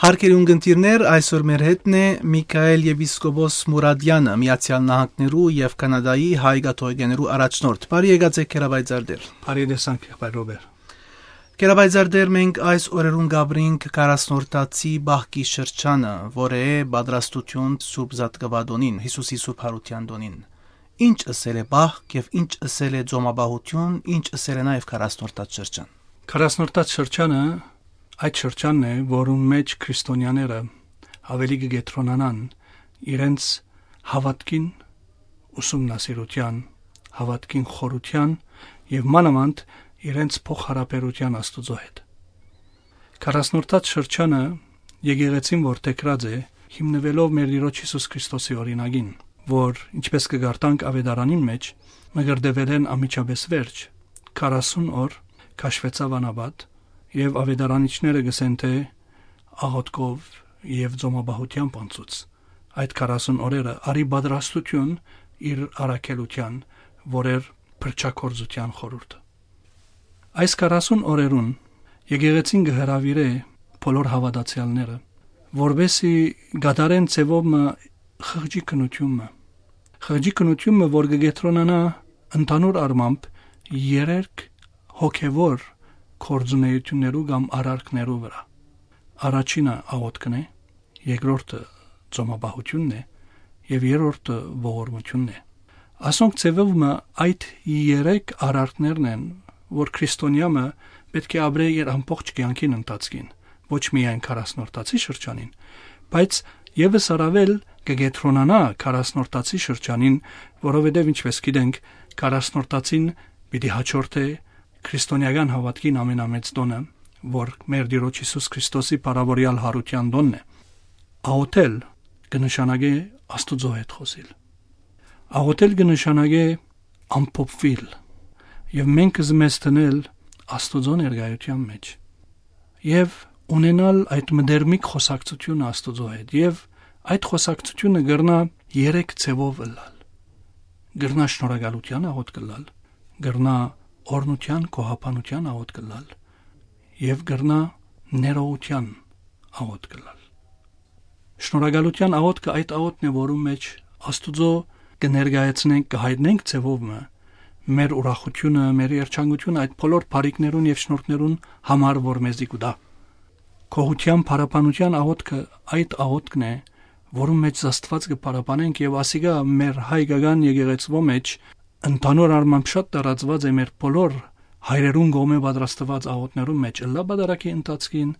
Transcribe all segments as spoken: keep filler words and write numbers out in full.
Հարգելի ունգընտիրներ, այսօր մեր հետն է Միքայել եպիսկոպոս Մուրադյանը, Միացյալ Նահանգներու եւ Կանադայի հայ կաթողիկեներու առաջնորդ։ Բարի եկած եք, Գերաբայծարդեր։ Բարի տեսանք, Գերաբայր Ռոբեր։ Գերաբայծարդեր, մենք այս օրերուն կապրինք քառասնորդացի պահքի շրջանը, որ է պատրաստություն Սուրբ Զատկուատոնին, Յիսուսի Սուրբ Յարութեան տոնին։ Ինչ ըսել է պահք եւ ինչ ըսել է ծոմապահություն, ինչ ըսել է նաեւ քառասնորդաց շրջան։ Քառասնորդաց շրջանը այդ շրջանն է, որուն մեջ քրիստոնյաները ավելի կը կեդրոնանան իրենց հաւատքին ուսումնասիրութեան, հաւատքին խորութեան եւ մանաւանդ իրենց փոխհարաբերութեան Աստուծոյ հետ։ Քառասնորդաց շրջանը եկեղեցին որ թեքրած է, հիմնուելով մեր Տիրոջ Յիսուս Քրիստոսի օրինակին, որ, ինչպես կը կարդանք Աւետարանին մեջ, մկրտուելէն անմիջապէս վերջ, քառասուն օր քաշուեցաւ անապատ, եւ աւետարանիչները կ'ըսեն, թէ աղօթքով եւ ծոմապահութեամբ անցուց այդ քառասուն օրերը, արի պատրաստություն իր առաքելութեան, որ էր փրկչագործութեան խորհուրդը։ Այս քառասուն օրերուն եկեղեցին կը հրաւիրէ բոլոր հաւատացեալները, որպեսզի կատարեն ձեւով մը խղճի քննութիւն մը։ Խղճի քննութիւն մը, որ կը կեդրոնանայ ընդհանուր առմամբ երեք հոգեվոր գործունեութիւններու կամ արարքներու վրայ։ Առաջինը աղօթքն է, երկրորդը ծոմապահութիւնն է եւ երրորդը ողորմութիւնն է։ Ասոնք ձեւով մը այդ երեք արարքներն են, որ քրիստոնեայ մը պէտք է ապրէ իր ամբողջ կեանքին ընթացքին, ոչ միայն քառասնորդացի շրջանին, բայց եւս առաւել կը կեդրոնանայ քառասնորդացի շրջանին, որովհետեւ, ինչպես գիտենք, քառասնորդացին պիտի յաջորդէ քրիստոնեական հաւատքին ամենամեծ տոնը, որ մեր Տիրոջ Յիսուս Քրիստոսի փառաւորեալ յարութեան տոնն է։ Աղօթել կը նշանակէ Աստուծոյ հետ խօսիլ։ Աղօթել կը նշանակէ ամփոփուիլ եւ մենք զմեզ դնել Աստուծոյ ներկայութեան մեջ եւ ունենալ այդ մտերմիկ խօսակցութիւնը Աստուծոյ հետ, եւ այդ խօսակցութիւնը կրնայ երեք ձեւով ըլլալ։ Կրնայ շնորհակալութեան աղօթք ըլլալ, կրնայ օրհնութեան, գոհաբանութեան աղօթք ըլլալ եւ կրնայ ներողութեան աղօթք ըլլալ։ Շնորհակալութեան աղօթքը այդ աղօթքն է, որուն մեջ Աստուծոյ կը ներկայացնենք, կը հայտնենք ձեւով մը մեր ուրախութիւնը, մեր երջանկութիւնը այդ բոլոր բարիքներուն եւ շնորհքներուն համար, որ մեզի կու տայ։ Գոհութեան, փառաբանութեան աղօթքը այդ աղօթքն է, որուն մեջ Աստուած կը փառաբանենք, եւ ասիկա մեր հայկական եկեղեցւոյ մեջ ընդհանուր առմամբ շատ տարածուած է, մեր բոլոր հայրերուն կողմէ պատրաստուած աղօթքներուն մեջ, ըլլայ պատարագի ընթացքին,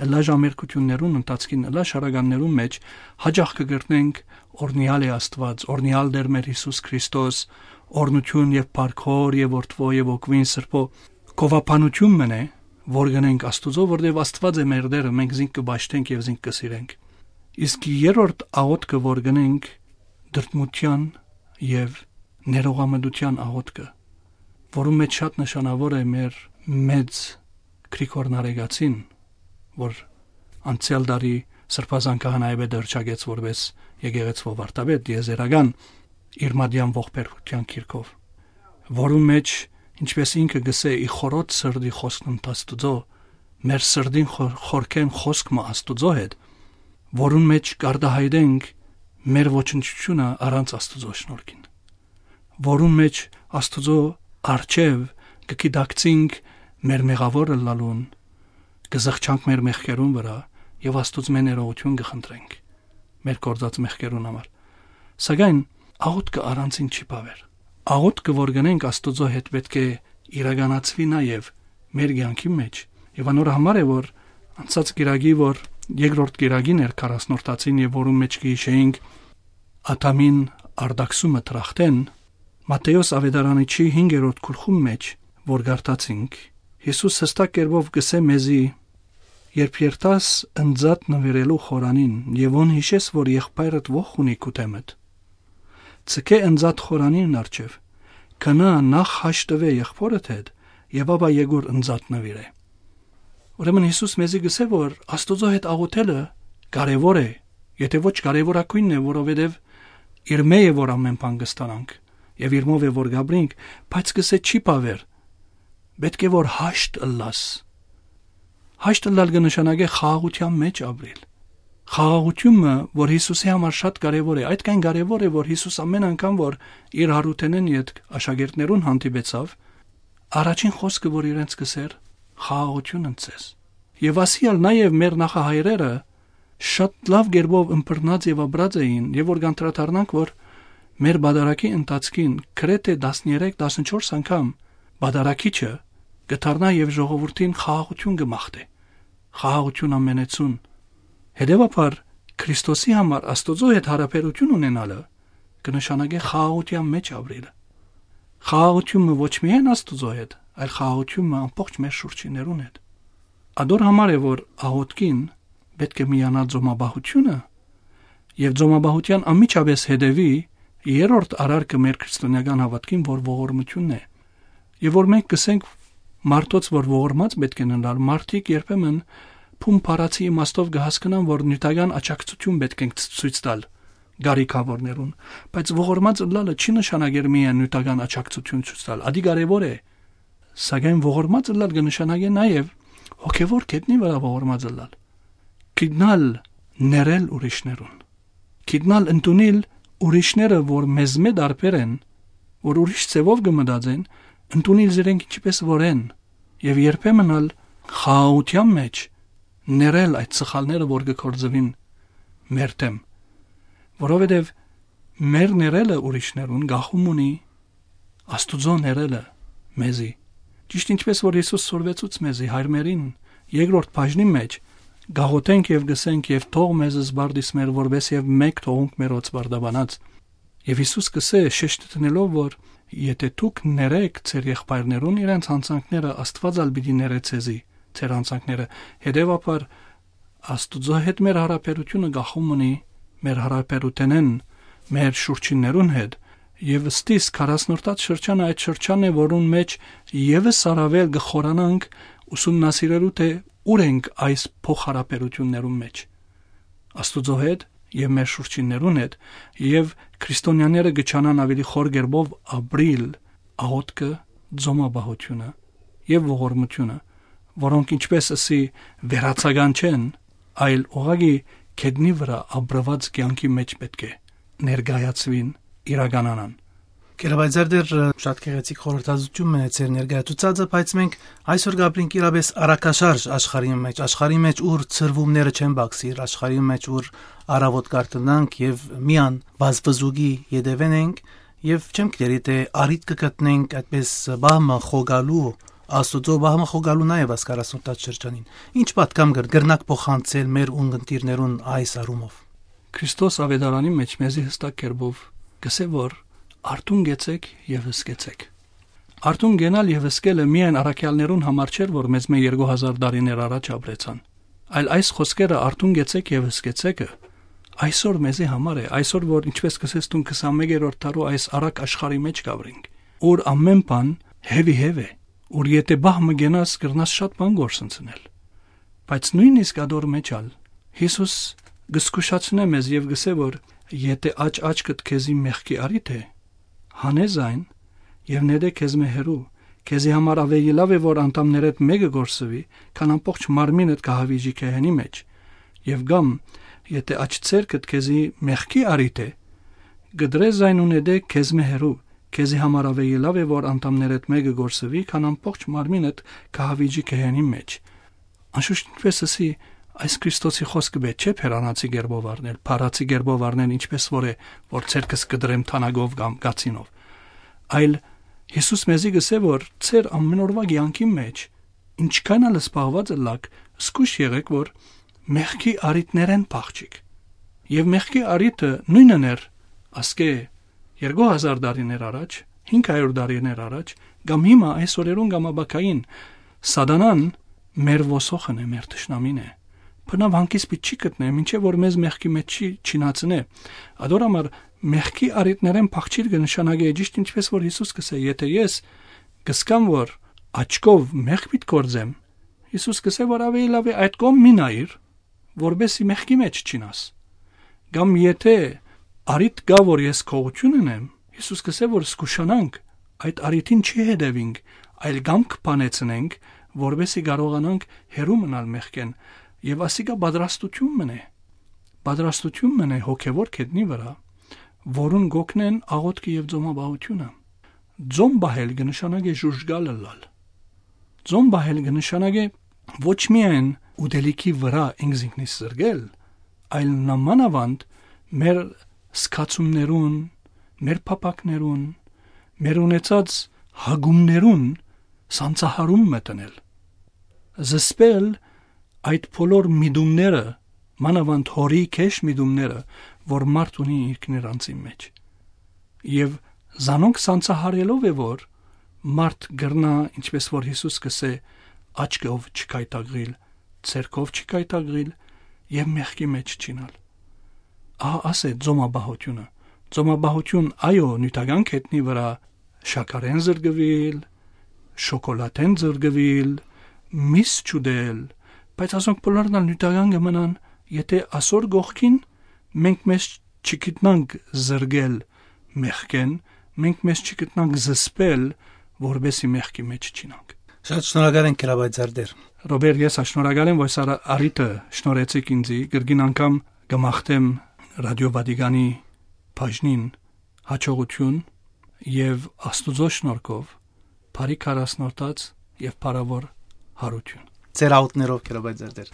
ըլլայ ժամերգութիւններուն ընթացքին, ըլլայ շարականներուն մեջ, յաճախ կը կրնենք. «Օրհնեալ է Աստուած, օրհնեալ Տէր մեր Յիսուս Քրիստոս, օրհնութիւն եւ փառք Հօր եւ Որդւոյ եւ Հոգւոյն Սրբոյ»։ Գովաբանութիւն մըն է, որ կ'ընենք Աստուծոյ, որտեւ Աստուած է մեր Տէրը, մենք զինք կը պաշտենք եւ զինք կը սիրենք։ Իսկ երրորդ աղօթքը, որ կ'ընենք, դրդմութեան եւ ներողամտութեան աղօթքը, որուն մեջ շատ նշանաւոր է մեր մեծ Գրիգոր Նարեկացին, որ անցեալ տարի Սրբազան քահանայապետը հռչակեց որպէս եկեղեցւոյ վարդապետ, տիեզերական, իր մատեան ողբերգութեան գիրքով, որուն մեջ, ինչպես ինքը կ'ըսէ, «Ի խորոց սրտի խօսքն ընդ Աստուծոյ», մեր սրտին խոր-, խորքէն խօսք մը Աստուծոյ հետ, որուն մեջ կարտահայտենք մեր ոչնչութիւնը առանց Աստուծոյ շնորհքին, որուն մեջ Աստուծոյ առջեւ կը գիտակցինք մեր մեղաւոր ըլլալուն, կը զղջանք մեր մեղքերուն վրայ եւ Աստուծմէ ներողութիւն կը խնդրենք մեր գործած մեղքերուն համար։ Սակայն աղօթքը առանցին չի բաւեր։ Աղօթքը, որ կ'ընենք Աստուծոյ հետ, պէտք է իրականացուի նաեւ մեր կեանքի մեջ, եւ անոր համար է, որ անցած կիրակի, որ երկրորդ կիրակին էր քառասնորդացին, եւ որուն մեջ կը յիշեինք Ադամին արտաքսումը դրախտէն, Մատթէոս Աւետարանիչի հինգերորդ գլխուն մեջ, որ կարդացինք, Յիսուս յստակ կերպով կ'ըսէ մեզի. «Երբ երթաս ընծատ նուիրելու խորանին եւ հոն յիշես, որ եղբայրդ ոխ ունի քու դէմդ, ձգէ ընծատ խորանին առջեւ, գնա, նախ հաշտուէ եղբօրդ հետ եւ ապա եկուր ընծատ նուիրէ»։ Ուրեմն Յիսուս մեզի կ'ըսէ, որ Աստուծոյ հետ աղօթելը կարեւոր է, եթէ ոչ կարեւորագոյնն է, որովհետեւ իրմէ է, որ ամէն բան կ'ստանանք, եւ իրմով է, որ կ'ապրինք, բայց կ'ըսէ, չի բաւեր, պէտք է, որ հաշտ ըլլաս։ Հաշտ ըլլալ կը նշանակէ խաղաղութեան մեջ ապրիլ, Խաղաղութիւնը, որ Յիսուսի համար շատ կարեւոր է, այդքան կարեւոր է, որ Յիսուս ամէն անգամ, որ իր յարութենէն ետք աշակերտներուն հանդիպեցաւ, առաջին խօսքը, որ իրենց կ'ըսէր, «Խաղաղութիւն ընդ ձեզ»։ Եւ ասիալ նաեւ մեր նախահայրերը շատ լաւ կերպով ըմբռնած եւ ապրած էին, եւ որ կանդրադառնանք, որ մեր պատարագի ընթացքին գրեթէ տասներեք, տասնչորս անգամ պատարագիչը կը դառնայ եւ ժողովուրդին խաղաղութիւն կը մաղթէ, խաղաղութիւն ամենեցուն։ Հետեւաբար, Քրիստոսի համար Աստուծոյ հետ յարաբերութիւն ունենալը կը նշանակէ խաղաղութեան մէջ ապրիլը։ Խաղաղութիւնը ոչ միայն Աստուծոյ հետ, այլ խաղաղութիւնը ամբողջ մեր շուրջիններուն հետ։ Ադոր համար է, որ աղօթքին պէտք է միանայ ծոմապահութիւնը, եւ ծոմապահութեան անմիջապէս հետեւի երրորդ արարքը մեր քրիստոնեական հաւատքին, որ ողորմութիւնն է։ Եւ որ մենք կ'ըսենք մարդոց, որ ողորմած պէտք է ըլլալ, մարդիկ երբեմն բուն բառացի իմաստով կը հասկնան, որ նիւթական աջակցութիւն պէտք ենք ցույց տալ կարիքաւորներուն, բայց ողորմած ըլլալը չի նշանակեր միայն նիւթական աջակցութիւն ցույց տալ, ադի կարեւոր է, սակայն ողորմած ըլլալ կը նշանակէ նաեւ հոգեվոր գետնի վրայ ողորմած ըլլալ, գիտնալ ներել ուրիշներուն, գիտնալ ընդունիլ ուրիշները, որ մեզմէ տարբեր են, որ ուրիշ ձեւով կը մտածեն, ընդունիլ զիրենք ինչպէս որ են, եւ երբեմն ալ խաղաղութեան մէջ ներել այդ սխալները, որ կը գործուին մեր դէմ, որովհետեւ մեր ներելը ուրիշներուն գախում ունի Աստուծոյ ներելը մեզի։ Ճիշդ ինչպէս որ Յիսուս սորվեցուց մեզի, հայրմերին, երկրորդ բաժնին մէջ, գաղութենք եւ գսենք, «Եւ թող մեզ զբարդիս մեր, որպէս եւ մեկ թողունք մեր օծբարդաբանած»։ Եւ Յիսուս կ'ըսէ, շեշտը դնելով, որ «Եթէ դուք ներէք ձեր եղբայրներուն իրենց յանցանքները, Աստուած ալ պիտի ներէ ձեզի ձեր յանցանքները»։ Հետեւաբար, Աստուծոյ հետ մեր յարաբերութիւնը գախում ունի մեր յարաբերութենէն մեր շուրջիններուն հետ, եւ ըստ իս քառասնորդաց շրջանը այդ շրջանն է, որուն մէջ եւս առաւել կը խորանանք ուսումնասիրելու, թէ ուր ենք այս փոխհարաբերութիւններուն մէջ Աստուծոյ հետ եւ մեր շուրջիններուն հետ, եւ քրիստոնեաները կը ջանան աւելի խոր կերպով ապրիլ աղօթքը, ծոմապահութիւնը եւ ողորմութիւնը, որոնք, ինչպէս ըսի, վերացական չեն, այլ ուղղակի գետնի վրայ ապրուած կեանքի մէջ պէտք է ներկայացուին, իրականանան։ Կերապայծեր դեր, շատ գեղեցիկ խորհրդածություն մնաց ձեր ներկայացուցածը, բայց մենք այսօր կապրինք իրապես առակաշարժ աշխարհի մեջ, աշխարհի մեջ, ուր ցրվումները չեն բացիր, աշխարհի մեջ, ուր առավոտ կարտընանք եւ միան վազվզուկի ետևեն ենք, եւ չեմ գիտեր, եթէ առիթ կը գտնենք այդպես բահմը խոգալու, Աստուծոյ բահմը խոգալու նաեւ այս քառասնորդաց շրջանին։ Ինչ պատկամ կր-, կրնակ փոխանցել մեր ունգընտիրներուն այս առումով։ Քրիստոս Ավետարանի մեջ մեզի յստակ կերպով կ'ըսէ, որ «Արթուն կեցեք եւ հսկեցեք»։ Արթուն կենալ եւ հսկելը միայն առաքեալներուն համար չէր, որ մեզմէ երկու հազար տարիներ առաջ ապրեցան, այլ այս խօսքերը «Արթուն կեցեք եւ հսկեցեք»-ը այսօր մեզի համար է, այսօր, որ, ինչպէս կ'ըսես դուն, քսանմեկերորդ դարու այս առակ աշխարհի մեջ կապրինք, ուր ամէն բան հեւի հեւ է, ուր եթէ բահ մը կենաս, կրնաս շատ բան գործընծնել։ Բայց նոյնիսկ ադոր մեջ ալ Յիսուս կ'զգուշացնէ մեզ եւ կ'ըսէ, որ «Եթէ աջ աչքդ քեզի մեղքի առիթ է, հանէ զայն եւ նետէ քեզմէ հեռու, քեզի համար աւելի լաւ է, որ անդամներէդ մէկը կորսուի, քան ամբողջ մարմինդ կը հաւիժի գեհենի մեջ։ Եւ կամ, եթէ աջ ձեռքդ քեզի մեղքի առիթ է, կտրէ զայն ու նետէ քեզմէ հեռու, քեզի համար աւելի լաւ է, որ անդամներէդ մէկը կորսուի, քան ամբողջ մարմինդ կը հաւիժի գեհենի մեջ»։ Անշուշտ, ինչպէս ըսի, այս Քրիստոսի խօսքը պէտք չէ բերանացի կերպով առնել, փառացի կերպով առնել, ինչպէս որ է, որ ձեռքս կտրեմ թանագով կամ գացինով։ Այլ Յիսուս մեզի կ'ըսէ, որ ձեր ամէնօրուայ կեանքի մեջ, ինչքան ալ զբաղված ըլլաք, զգուշ եղէք, որ մեղքի առիթներէն փախչիք։ Եւ մեղքի առիթը նոյնն էր ասկէ երկու հազար տարիներ առաջ, հինգ հարիւր տարիներ առաջ, կամ հիմա, այս օրերուն կամ ապագային, Սատանան մեր ոսոխն է, մեր թշնամին է։ Բնաւ հանգիստ պիտի չի գտնէ, մինչեւ որ մեզ մեղքի մեջ չի չինացնէ։ Ադոր համար մեղքի առիթներէն փախչիլ կը նշանակէ, ճիշդ ինչպէս որ Յիսուս կ'ըսէ, «Եթէ ես կ'սկամ, որ աչքով մեղք պիտի գործեմ», Յիսուս կ'ըսէ, որ աւելի լաւ է այդ կողմ մի նայիր, որպեսզի մեղքի մեջ չինաս։ Կամ եթէ առիթ կայ, որ ես գողութիւն ընեմ, Յիսուս կ'ըսէ, որ զգուշանանք, այդ առիթին չի հետեւինք, այլ կամք բանեցնենք, որպեսզի կարողանանք հեռու մնալ մեղքէն, եւ ասիկա պատրաստութիւն մնէ։ պատրաստութիւն մնայ հոգեւոր գետնի վրայ, որուն կ'օգնեն աղօթքը եւ ծոմապահութիւնը։ Ծոմ պահել կը նշանակէ ժուժկալ ըլլալ։ Ծոմ պահել կը նշանակէ ոչ միայն ուտելիքի վրայ ինքզինքնիս զրկել, այլ նամանավանդ մեր զգացումներուն, մեր փափաքներուն, մեր ունեցած հակումներուն սանձահարում մտնել։ Զսպել այդ բոլոր միտումները, մանավանդ հորի քեշ միտումները, որ մարդ ունի ինքնին անձին մեջ։ Եւ զանոնք սանձահարելով է, որ մարդ կրնայ, ինչպես որ Յիսուս կ'ըսէ, աչքով չկայտակղիլ, ձեռքով չկայտակղիլ եւ մեղքի մեջ չինալ։ Ահա ասե ծոմապահութիւնը։ Ծոմապահութիւն, այո, նիւթական գետնի վրայ շաքարէն զրկուիլ, շոկոլատէն զրկուիլ, միս չուտել, բայց ասոնք բոլորն ալ նիւթական կը մնան, եթե ասոր կողքին մենք մեզ չգիտնանք զրկել մեղքէն, մենք մեզ չգիտնանք զսպել, որպեսզի մեղքի մեջ չինանք։ Շատ շնորհակալ ենք, Քրաբայ Ձարդեր։ Ռոբեր, ես ա շնորհակալ եմ, որ սա առիթը շնորհեցիք ինձի, կրկին անգամ կը մաղթեմ Ռադիո Վատիկանի բաժնին հաջողություն եւ Աստուծոյ շնորհքով բարի քառասնորդաց եւ փառաւոր յարութիւն։ Ձեր աուտներով, Քրաբայ Ձարդեր։